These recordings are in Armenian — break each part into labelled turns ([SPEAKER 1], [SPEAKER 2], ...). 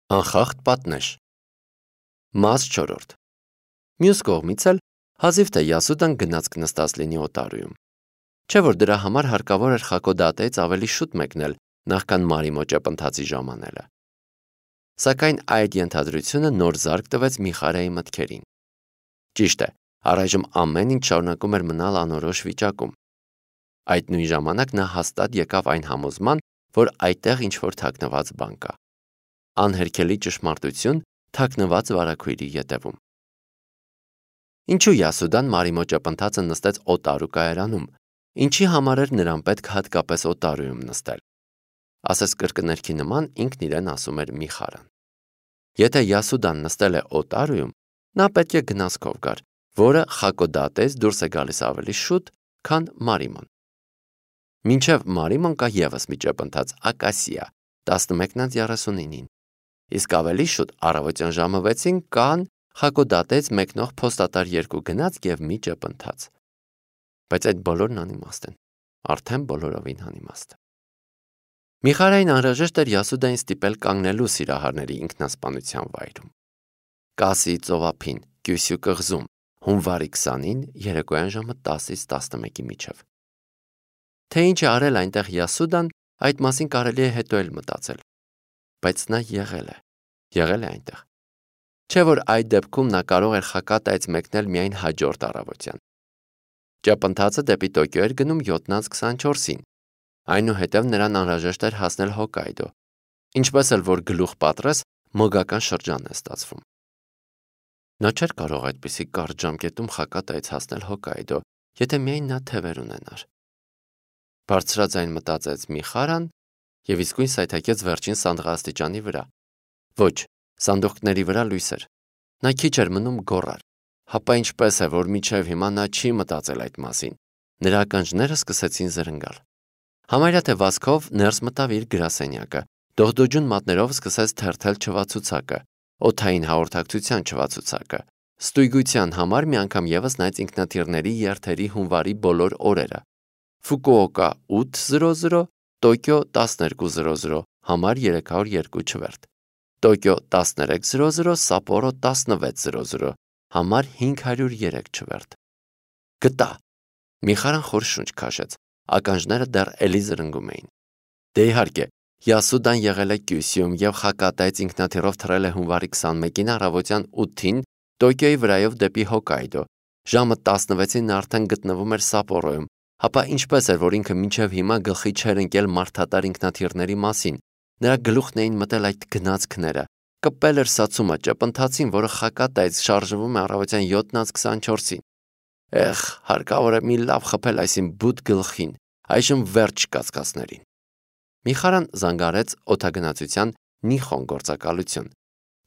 [SPEAKER 1] Անխախտ պատնեշ։ Մաս 4. Մյուս կողմից էլ հազիվ թե Յասուդան գնացք նստած լինի Օտարուում։ Չէ՞ որ դրա համար հարկավոր էր Խակոդատեից ավելի շուտ մեկնել, նախքան Մարիմո ճեպընթացի ժամանելը։ Սակայն այդ ենթադրությունը նոր զարկ տվեց Միխարայի մտքերին։ Ճիշտ է, առայժմ ամեն ինչ շարունակում էր մնալ անորոշ վիճակում։ Այդ նույն ժամանակ նա հաստատ եկավ այն համոզման, որ այդտեղ ինչ-որ թաքնված բան կա։ Անհերքելի ճշմարտություն թաքնված վարագույրի ետևում։ Ինչու Յասուդան Մարիմո ճեպընթացը նստեց Օտարու կայարանում, ինչի համար էր նրան պետք հատկապես Օտարուում նստել։ Ասես կրկներքի նման ինքն իրեն ասում էր Միխարան։ Եթե Յասուդան նստել է Օտարուում, նա պետք է գնացքով գար, որը Խակոդատեից դուրս է գալիս ավելի շուտ, քան Մարիմոն։ Մինչև Մարիմոն կա ևս մի ճեպընթաց Ակասիա 11:39-ին, իսկ ավելի շուտ առավոտյան ժամը 6-ին կան Խակոդատեից մեկնող փոստատար 2 գնացք եւ մի ճեպընթաց։ Բայց այդ բոլորն անիմաստ են, արդեն բոլորովին անիմաստ։ Միխարային անհրաժեշտ էր Յասուդային ստիպել կանգնելու Սիրահարների ինքնասպանության վայրում։ Կասի ծովափին, Կյուսյու կղզում, հունվարի 20-ին երեկոյան ժամը 10-ից 11-ի միջև։ Թե ինչ է արել այնտեղ Յասուդան, այդ մասին կարելի է հետո էլ մտածել։ Բայց նա եղել է այնտեղ։ Չէ՞ որ այդ դեպքում նա կարող էր Խակատայից մեկնել միայն հաջորդ առավոտյան։ Ճեպընթացը դեպի Տոկիո էր գնում 7:24-ին, այնուհետև նրան անհրաժեշտ էր հասնել Հոկկայդո, ինչպես էլ որ գլուխ պատռես, մոգական շրջան է ստացվում։ Նա չէր կարող այդպիսի կարճ ժամկետում Խակատայից հասնել Հոկկայդո, եթե միայն նա թևեր ունենար։ Բարձրաձայն մտածեց Միխարան եւ իսկույն սայթաքեց վերջին սանդղաստիճանի վրա։ Ոչ, սանդուղքների վրա լույս էր։ Նա քիչ էր մնում գոռար։ Հապա ինչպես է, որ մինչև հիմա նա չի մտածել այդ մասին։ Նրա ականջները սկսեցին զրնգալ։ Համարյա թե վազքով ներս մտավ իր գրասենյակը, դողդոջուն մատներով սկսեց թերթել չվացուցակը, օդային հաղորդակցության չվացուցակը։ Ստույգության համար մի անգամ եւս նայեց ինքնաթիռների երթերի հունվարի բոլոր օրերը։ Ֆուկուոկա 8:00, Տոկիո 12:00, համար 302 չվերթ։ Տոկիո 13:00, Սապորո 16:00, համար 503 չվերթ։ Գտա։ Միխարան խոր շունչ քաշեց, ականջները դեռ էլի զրնգում էին։ Դե իհարկե, Յասուդան եղել է Կյուսյուում եւ Խակատայից ինքնաթիռով թռել է հունվարի 21-ին առավոտյան 8-ին Տոկիոյի վրայով դեպի Հոկկայդո։ Ժամը 16-ին նա արդեն գտնվում էր Սապորոյում, հապա ինչպես էր, որ ինքը մինչև հիմա գլխի չէր ընկել մարդատար ինքնաթիռների մասին։ Նրա գլուխն էին մտել այդ գնացքները։ Կպել էր սացումը ճեպընթացին, որը Խակատայից շարժվում է առավոտյան 7:24-ին։ Էխ, հարկավոր է մի լավ խփել այսին բութ գլխին, այժմ վերջ կասկածներին։ Միխարան զանգարեց օդագնացության Նիխոն գործակալություն։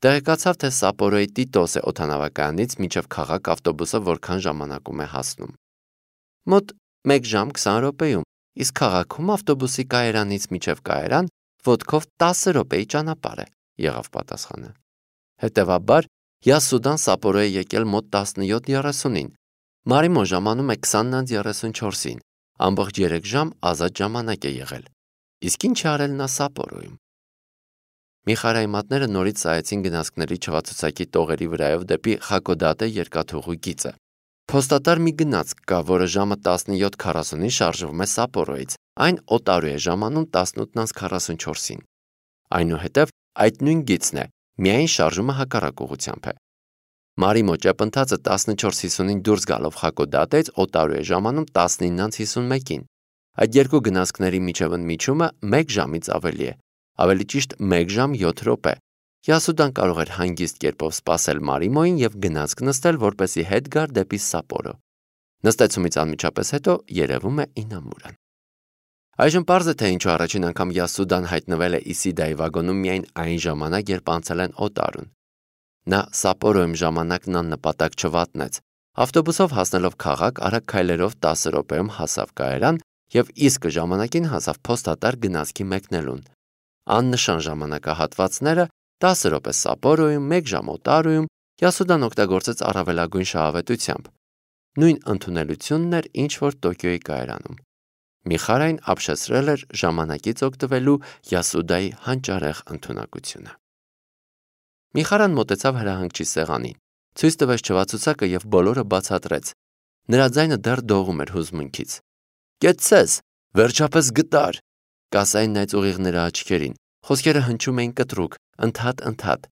[SPEAKER 1] Տեղեկացավ, թե Սապորոյի Տիտոսե օդանավակայանից մինչև քաղաք ավտոբուսը որքան ժամանակում է հասնում։ Մոտ 1 ժամ 20 րոպեում, իսկ քաղաքում ավտոբուսի կայարանից մինչև կայարան ոտքով 10 րոպեի ճանապարհ է, եղավ պատասխանը։ Հետևաբար Յասուդան Սապորո է եկել մոտ 17:30-ին։ Մարիմո ժամանում է 20:34-ին, ամբողջ 3 ժամ ազատ ժամանակ է եղել։ Իսկ ինչ է արել նա Սապորոյում։ Միխարայի մատները նորից սայեցին գնացքների չվացուցակի տողերի վրայով դեպի Խակոդատե երկաթուղու գիծը։ Փոստատար մի գնացք կա, որը ժամը 17:40-ին շարժվում է Սապորոյից, այն Օտարու է ժամանում 18:44-ին։ Այնուհետև այդ նույն գիծն է, միայն շարժումը հակառակ ուղղությամբ է։ Մարիմո ճեպընթացը 14:50-ին դուրս գալով Խակոդատեից Օտարու է ժամանում 19:51-ին։ Այդ երկու գնացքների միջև ընդմիջումը 1 ժամից ավելի է, ավելի ճիշտ 1 ժամ 7 րոպե։ Յասուդան կարող էր հանգիստ կերպով սպասել Մարիմոյին եւ գնացք նստել, որպեսզի հետ գար դեպի Սապորո։ Նստեցումից անմիջապես հետո երևում է Ինամուրան։ Այժմ պարզ է, թե ինչու առաջին անգամ Յասուդան հայտնվել է Իսիդայի վագոնում միայն այն ժամանակ, երբ անցել են Օտարուն։ Նա Սապորոյում ժամանակն աննպատակ չվատնեց։ Ավտոբուսով հասնելով քաղաք, արագ քայլերով 10 րոպեում հասավ կայարան եւ իսկ ժամանակին հասավ փոստատար գնացքի մեկնելուն։ Աննշան ժամանակահատվածները 10 րոպե Սապորոյում, 1 ժամ Օտարուում Յասուդան օգտագործեց առավելագույն շահավետությամբ։ Նույն ընդունելությունն էր, ինչ որ Տոկիոյի կայարանում։ Միխարային ապշեցրել էր ժամանակից օգտվելու Յասուդայի հանճարեղ ընդունակությունը։ Միխարան մոտեցավ հրահանգչի սեղանին, ցույց տվեց չվացուցակը եւ բոլորը բացատրեց։ Նրա ձայնը դեռ դողում էր հուզմունքից։ Կեցցես, վերջապես գտար։ Կասային նայեց ուղիղ նրա աչքերին, խոսքերը հնչում էին կտրուկ, ընդհատ։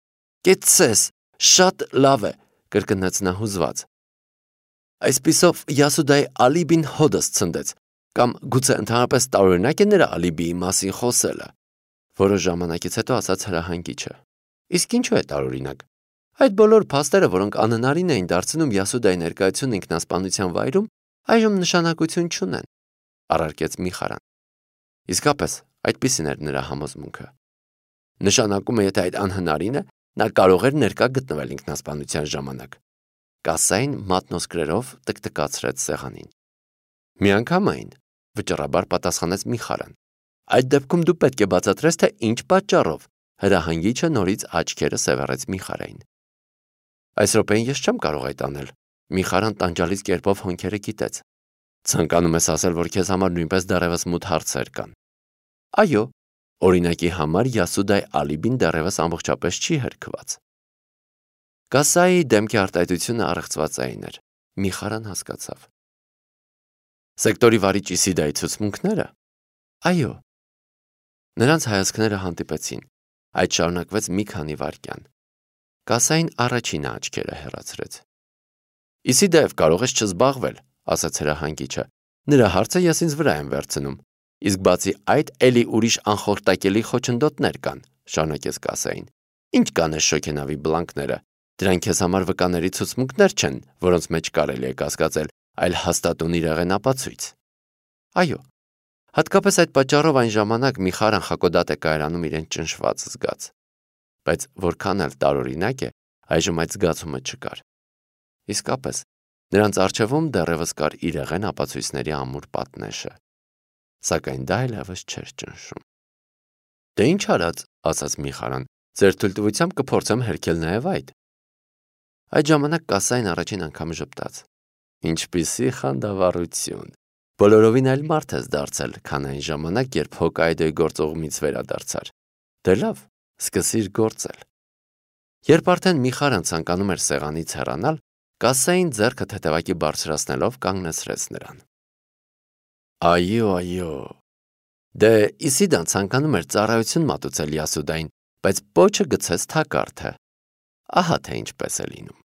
[SPEAKER 1] Կեցցես, շատ լավ է, կրկնեց նա հուզված։ Այսպիսով Յասուդայի ալիբին հոդս ցնդեց, կամ գուցե ընդհանրապես տարօրինակ է նրա ալիբիի մասին խոսելը։ Որոշ ժամանակից հետո ասաց հրահանգիչը։ Իսկ ինչու է տարօրինակ։ Այդ բոլոր փաստերը, որոնք անհնարին էին դարձնում Յասուդայի ներկայությունն ինքնասպանության վայրում, այժմ նշանակություն չունեն, առարկեց Միխարան։ Իսկապես, այդպիսին էր նրա համոզմունքը։ Նշանակում է, եթե այդ անհնարին է, նա կարող էր ներկա գտնվել ինքնասպանության ժամանակ։ Կասային մատնոսկրերով տկտկացրեց սեղանին։ Միանգամայն, վճռաբար պատասխանեց Միխարան։ Այդ դեպքում դու պետք է բացատրես, թե ինչ պատճառով, հրահանգիչը նորից աչքերը սևեռեց Միխարային։ Այս րոպեին ես չեմ կարող այդ անել։ Միխարան տանջալից կերպով հոնքերը կիտեց։ Ցանկանում ես ասել, որ քեզ համար նույնպես դեռևս մութ հարցեր կան։ Այո, օրինակի համար Յասուդայի ալիբին դեռևս ամբողջապես չի հերքված։ Կասայի դեմքի արտահայտությունը առեղծվածային էր։ Միխարան հասկացավ։ Սեկտորի վարիչ Իսիդայի ցուցմունքները։ Այո։ Նրանց հայացքները հանդիպեցին։ Այդ շարունակվեց մի քանի վայրկյան։ Կասային առաջինը աչքերը հեռացրեց։ Իսիդայով կարող ես չզբաղվել, ասաց հրահանգիչը։ Նրա հարցը ես ինձ վրա եմ վերցնում։ Իսկ բացի այդ, էլի ուրիշ անխորտակելի խոչընդոտներ կան, շարունակեց Կասային։ Ինչ կանես շոգենավի բլանկները։ Դրանք քեզ համար վկաների ցուցմունքներ չեն, որոնց մեջ կարելի է կասկածել, այլ հաստատուն իրեղեն ապացույց։ Այո։ Հատկապես այդ պատճառով այն ժամանակ Միխարան Խակոդատ է կայարանում իրեն ճնշված զգաց։ Բայց որքան էլ տարօրինակ է, այժմ այդ զգացումը չկար։ Իսկապես, նրանց առջևում դեռևս կար իրեղեն ապացույցների ամուր պատնեշը։ Սակայն դա այլևս չէր ճնշում։ Դե ինչ արած, ասաց Միխարան, ձեր թույլտվությամբ կփորձեմ հերքել նաև այդ։ Այդ ժամանակ Կասային առաջին անգամ ժպտաց։ Ինչպիսի խանդավառություն։ Բոլորովին այլ մարդ ես դարձել, քան այն ժամանակ, երբ Հոկայդոյի գործողումից վերադարձար։ Դե լավ, սկսիր գործել։ Երբ արդեն Միխարան ցանկանում էր սեղանից հեռանալ, Կասային ձեռքը թեթևակի բարձրացնելով կանգնեցրեց նրան։ Այո։ Դե Իսիդան ցանկանում էր ծառայություն մատուցել Յասուդային, բայց պոչը գցեց թակարդը։ Ահա թե ինչպես է լինում։